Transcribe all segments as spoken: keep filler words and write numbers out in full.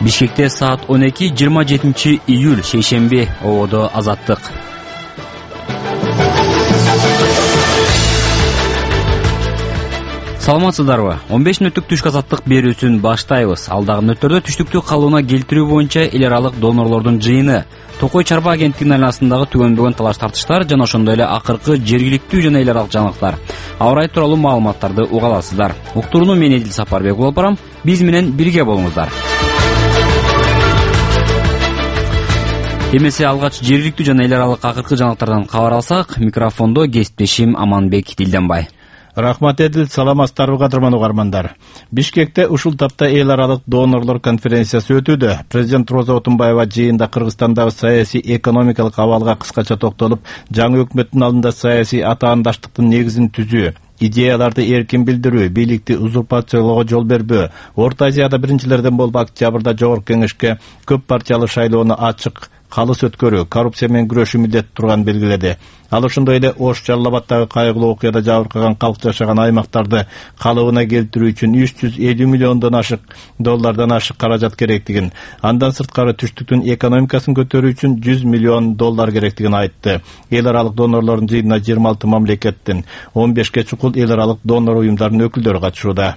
Бишкекте саат он эки жыйырма жетинчи июль шейшемби ободо Азаттык. Саламатсыздарбы? он беш мүнөттүк түшкү азаттык берүүсүн баштайбыз. Алдагы мүнөттөрдө түштүктү калыбына келтирүү боюнча эл аралык донорлордун жыйыны, Токой чарба агенттигинин айланасындагы түгөнбөгөн талаш тартыштар жана ошондой эле акыркы жергиликтүү жана эл аралык жаңылыктар. Аба ырайы тууралуу маалыматтарды уга аласыздар. Уктурууну мен Эдил Сапарбек болуп барам. Биз менен бирге болуңуздар. Эмесе алгач жергиликтүү жана эл аралык акыркы жаңылыктардан кабар алсак, микрофондо кесиптешим Аманбек Дилденбай. Рахмат Эдил, саламатсыздарбы кадырман угармандар. Бишкекте ушул тапта эл аралык донорлор конференциясы өтүүдө. Президент Роза Отунбаева жыйында Кыргызстандагы саясий экономикалык абалга кыскача токтолуп, жаңы өкмөттүн алдында саясий атаандаштыктын негизин түзүү, идеяларды эркин билдирүү, бийликти узурпациялоого жол бербөө, Орто Азияда биринчилерден болуп октябрда Жогорку Кеңешке көп партиялуу шайлоону ачык калыс өткөрүү, коррупция менен күрөшүү милдети турганын белгиледи. Ал ошондой эле Ош Жалал Абаддагы кайгылуу окуяда жабыркаган калк жашаган аймактарды калыбына келтирүү үчүн үч жүз элүү миллиондон ашык доллардан ашык каражат керектигин, андан сырткары түштүктүн экономикасын көтөрүү үчүн жүз миллион доллар керектигин айтты. Эл аралык донорлордун жыйынына жыйырма алты мамлекеттин он бешке чукул эл аралык донор уюмдарынын өкүлдөрү катышууда.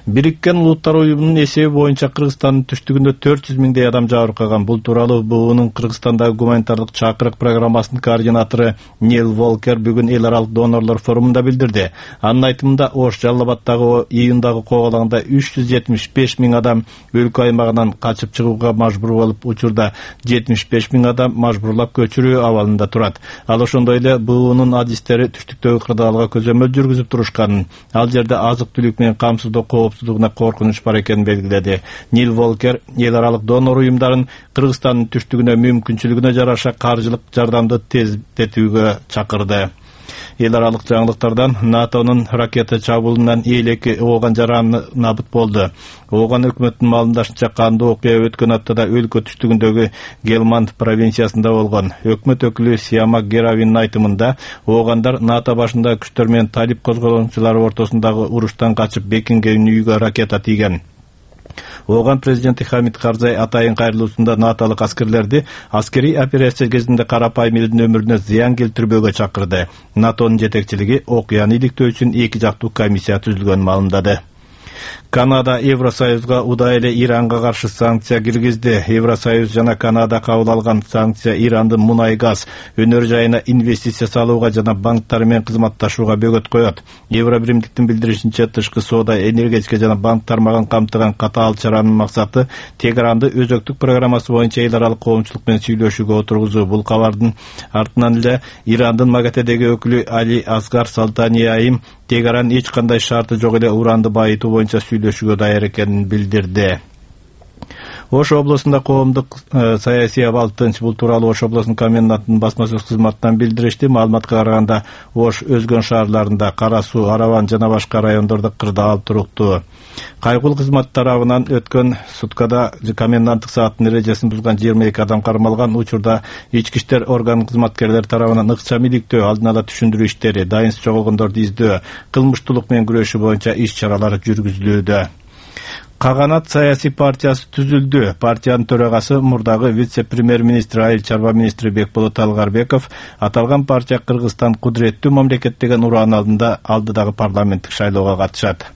Бириккен Улуттар уюмунун эсеби боюнча Кыргызстандын түштүгүндө төрт жүз миңдей адам жабыркаган. Бул тууралуу буунун Кыргызстандагы гуманитардык чакырык программасынын координатору Нил Волкер бүгүн эл аралык донорлор форумунда билдирди. Анын айтымында Ош Жалал Абаддагы июндагы кооголаңда үч жүз жетимиш беш миң адам өлкө аймагынан качып чыгууга мажбур болуп, учурда жетимиш беш миң адам мажбурлап көчүрүү абалында турат. Ал ошондой эле буунун адистери түштүктөгү кырдаалга көзөмөл жүргүзүп турушканын, ал жерде азык-түлүк менен камсыздоо коопсуздугуна коркунуч бар экенин белгиледи. Нил Волкер эл аралык донор уюмдарын Кыргызстандын түштүгүнө мүмкүнчүлүгүнө жараша каржылык жардамды тездетүүгө чакырды. Эл аралык жаңылыктардан НАТОнун ракета чабуулунан элеки ооган жараны набыт болду. Ооган өкмөттүн маалымдашынча кандуу окуя өткөн аптада өлкө түштүгүндөгү Гелманд провинциясында болгон. Өкмөт өкүлү Сиамак Геравинин айтымында оогандар НАТО башындагы күчтөр менен талип козголоочулары ортосундагы уруштан качып бекинген үйгө ракета тийген. Ооган президенти Хамид Карзай атайын кайрылуусунда наталык аскерлерди аскерий операция кезинде карапайым элдин өмүрүнө зыян келтирбөөгө чакырды. НАТОнун жетекчилиги окуяны иликтөө үчүн эки жактуу комиссия түзүлгөнүн маалымдады. Канада Евросоюзга удай эле Иранга каршы санкция киргизди. Евросоюз жана Канада кабыл алган санкция Ирандын мунай газ өнөр жайына инвестиция салууга жана банктар менен кызматташууга бөгөт коет. Евробиримдиктин билдиришинче, тышкы соода, энергетика жана банк тармагын камтыган катаал чаранын максаты Тегеранды өзөктүк программасы боюнча эл аралык коомчулук менен сүйлөшүүгө отургузуу. Бул кабардын артынан эле Ирандын МАГАТЭдеги өкүлү Али Асгар Салтаниайым Тегеран эч кандай шарты жок эле уранды байытуу боюнча сүйлөшүүгө даяр экенин билдирди. Ош облусунда коомдук саясий абал тынч. Бул тууралуу Ош облусунун комендантынын басма сөз кызматынан билдиришти. Маалыматка караганда Ош өзгөн шаарларында, Кара Суу, Араван жана башка райондордо кырдаал туруктуу. Кайгылуу кызмат тарабынан өткөн суткада коменданттык сааттын эрежесин бузган жыйырма эки адам кармалган. Учурда ички иштер орган кызматкерлери тарабынан ыкчам иликтөө, алдын ала түшүндүрүү иштери, дайынсыз жоголгондорду издөө, кылмыштуулук менен күрөшүү боюнча иш чаралар жүргүзүлүүдө. Каганат саясий партиясы түзүлдү. Партиянын төрагасы мурдагы вице-премьер-министр айыл чарба министри Бекболот Талгарбеков аталган партия Кыргызстан кудуреттүү мамлекет деген ураан алдында алдыдагы парламенттик шайлоого катышат.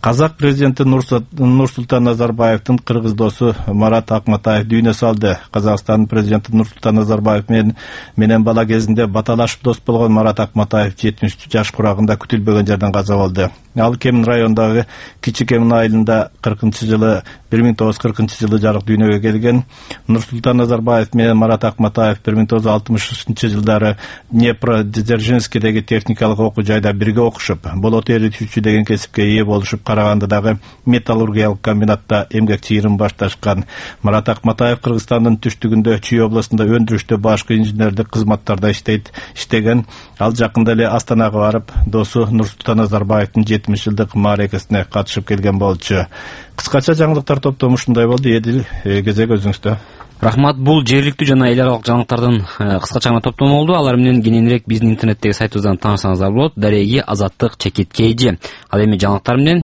Казак президенти Нурсултан Назарбаевдин кыргыз досу Марат Акматаев дүйнө салды. Казакстандын президенти Нурсултан Назарбаев менен менен бала кезинде баталашып дос болгон Марат Акматаев жетимиш жаш курагында күтүлбөгөн жерден каза болду. Ал Кемин районундагы Кичи Кемин айылында кыркынчы жылы бир миң тогуз жүз кыркынчы жылы жарык дүйнөгө келген. Нурсултан Назарбаев менен Марат Акматаев бир миң тогуз жүз алтымышынчы жылдары Днепродзержинскидеги техникалык окуу жайда бирге окушуп, болот эритүүчү деген кесипке ээ болушуп, Карагандыдагы металлургиялык комбинатта эмгек чыйырын башташкан. Марат Акматаев Кыргызстандын түштүгүндө Чүй облусунда өндүрүштө башкы инженердик кызматтарда иштейт иштеген. Ал жакында эле Астанага барып, досу Нурсултан Назарбаевдин жетимиш жылдык мааракесине катышып келген болчу. Кыскача жаңылыктар топтому ушундай болду. Эдил, кезек өзүңүздө. Рахмат, бул жергиликтүү жана эл аралык жаңылыктардын кыскача гана топтому болду. Алар менен кененирээк биздин интернеттеги сайтыбыздан таанышсаңыздар болот. Дареги Азаттык чекит кей жи. Ал эми жаңылыктар менен